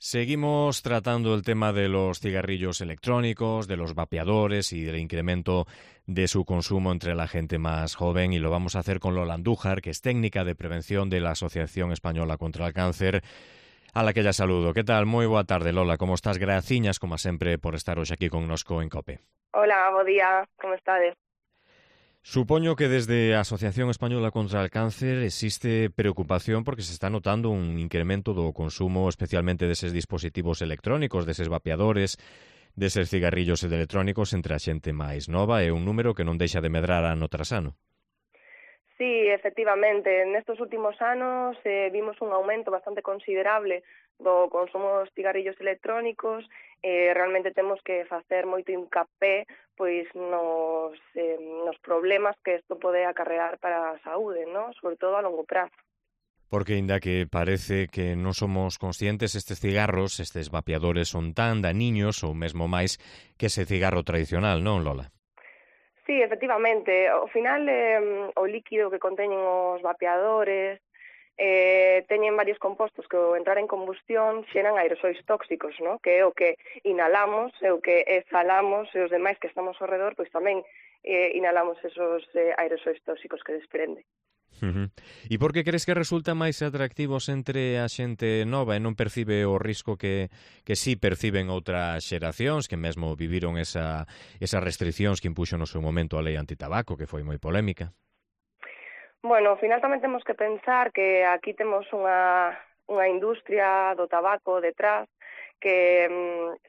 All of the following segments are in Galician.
Seguimos tratando el tema de los cigarrillos electrónicos, de los vapeadores y del incremento de su consumo entre la gente más joven, y lo vamos a hacer con Lola Andújar, que es técnica de prevención de la Asociación Española contra el Cáncer, a la que ya saludo. ¿Qué tal? Moi boa tarde, Lola. Como estás? Graciñas, como sempre, por estar hoxe aquí connosco en COPE. Hola, bo día, como estades? Supoño que desde a Asociación Española contra el Cáncer existe preocupación porque se está notando un incremento do consumo especialmente deses dispositivos electrónicos, deses vapeadores, deses cigarrillos electrónicos entre a xente máis nova, e un número que non deixa de medrar ano tras ano. Sí, efectivamente, nestos últimos anos vimos un aumento bastante considerable do consumo dos cigarrillos electrónicos. Realmente temos que facer moito hincapé pois nos problemas que isto pode acarrear para a saúde, ¿no? Sobre todo a longo prazo. Porque, inda que parece que non somos conscientes, estes cigarros, estes vapeadores, son tan daniños ou mesmo máis que ese cigarro tradicional, non, Lola? Sí, efectivamente, ao final o líquido que conteñen os vapeadores teñen varios compostos que ao entrar en combustión xeran aerosois tóxicos, ¿no? Que é o que inhalamos, é o que exhalamos, e os demais que estamos ao redor, pois tamén inhalamos esos aerosois tóxicos que desprende. E por que crees que resulta máis atractivos entre a xente nova e non percibe o risco que sí perciben outras xeracións que mesmo viviron esas restriccións que impuxo no seu momento a lei antitabaco, que foi moi polémica? Bueno, ao final tamén temos que pensar que aquí temos unha industria do tabaco detrás que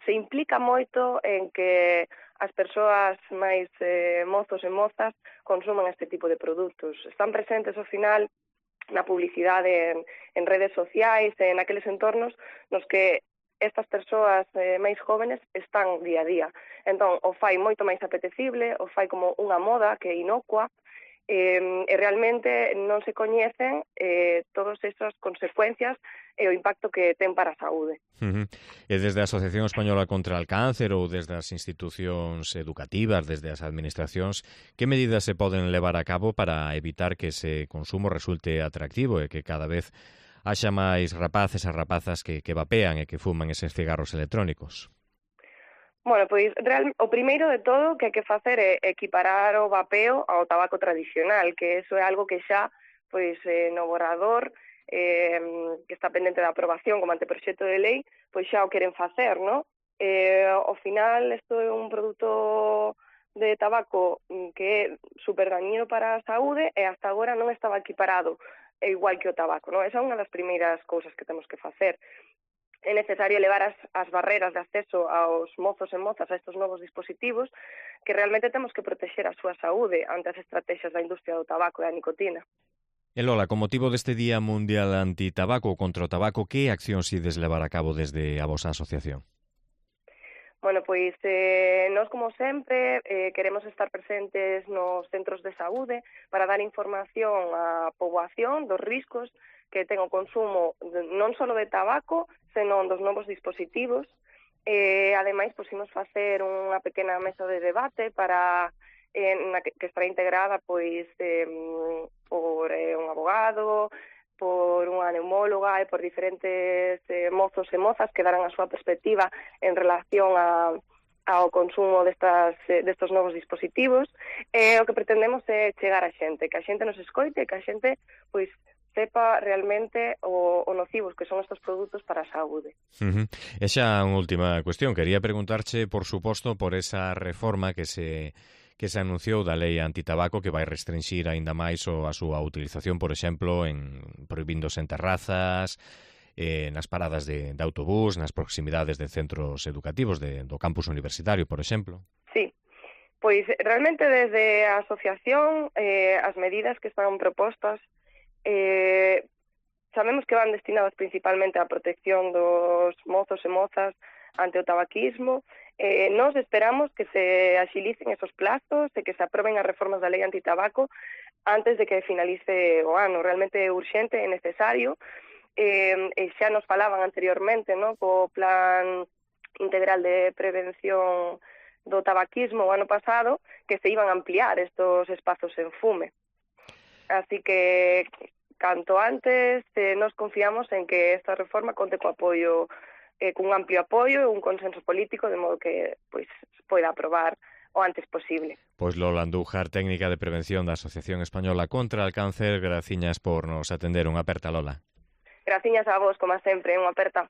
se implica moito en que as persoas máis mozos e mozas consuman este tipo de produtos. Están presentes ao final na publicidade en redes sociais e naqueles entornos nos que estas persoas máis jóvenes están día a día. Entón, o fai moito máis apetecible, o fai como unha moda que é inocua, e realmente non se coñecen todas esas consecuencias e o impacto que ten para a saúde. E desde a Asociación Española contra el Cáncer ou desde as institucións educativas, desde as administracións, que medidas se poden levar a cabo para evitar que ese consumo resulte atractivo e que cada vez haxa máis rapaces e rapazas que vapean e que fuman eses cigarros electrónicos? Bueno, pois o primeiro de todo que hai que facer é equiparar o vapeo ao tabaco tradicional, que eso é algo que xa pois no borrador que está pendente da aprobación como anteproxecto de lei, pois xa o queren facer, ¿no? Ao final, isto é un produto de tabaco que é super dañino para a saúde e hasta agora non estaba equiparado, igual que o tabaco, ¿no? Esa é unha das primeiras cousas que temos que facer. É necesario elevar as barreras de acceso aos mozos e mozas a estes novos dispositivos, que realmente temos que protexer a súa saúde ante as estrategias da industria do tabaco e da nicotina. E Lola, con motivo deste Día Mundial Antitabaco contra o Tabaco, que accións ides levar a cabo desde a vosa asociación? Bueno, pois nós, como sempre, queremos estar presentes nos centros de saúde para dar información á poboación dos riscos que ten o consumo non só de tabaco, senón dos novos dispositivos. Ademais, pois, imos facer unha pequena mesa de debate para que estará integrada pois por un abogado, por unha neumóloga e por diferentes mozos e mozas que darán a súa perspectiva en relación ao consumo destos novos dispositivos. O que pretendemos é chegar a xente, que a xente nos escoite e que a xente pois sepa realmente o nocivos que son estes produtos para a saúde. E xa unha última cuestión. Quería preguntarche, por suposto, por esa reforma que se anunciou da lei antitabaco que vai restringir aínda máis a súa utilización, por exemplo, prohibíndose en terrazas, nas paradas de autobús, nas proximidades de centros educativos do campus universitario, por exemplo. Sí, pois realmente desde a asociación as medidas que están propostas sabemos que van destinadas principalmente á protección dos mozos e mozas ante o tabaquismo. Nós esperamos que se axilicen esos plazos e que se aproben as reformas da lei antitabaco antes de que finalice o ano. Realmente é urxente, é necesario, e xa nos falaban anteriormente, ¿no?, co Plan Integral de Prevención do Tabaquismo o ano pasado, que se iban a ampliar estos espazos en fume. Así que, canto antes, nos confiamos en que esta reforma conte co apoio cun amplio apoio e un consenso político, de modo que pois poida aprobar o antes posible. Pois Lola Andújar, técnica de prevención da Asociación Española contra o Cáncer, graciñas por nos atender. Unha aperta, Lola. Graciñas a vos, como sempre, unha aperta.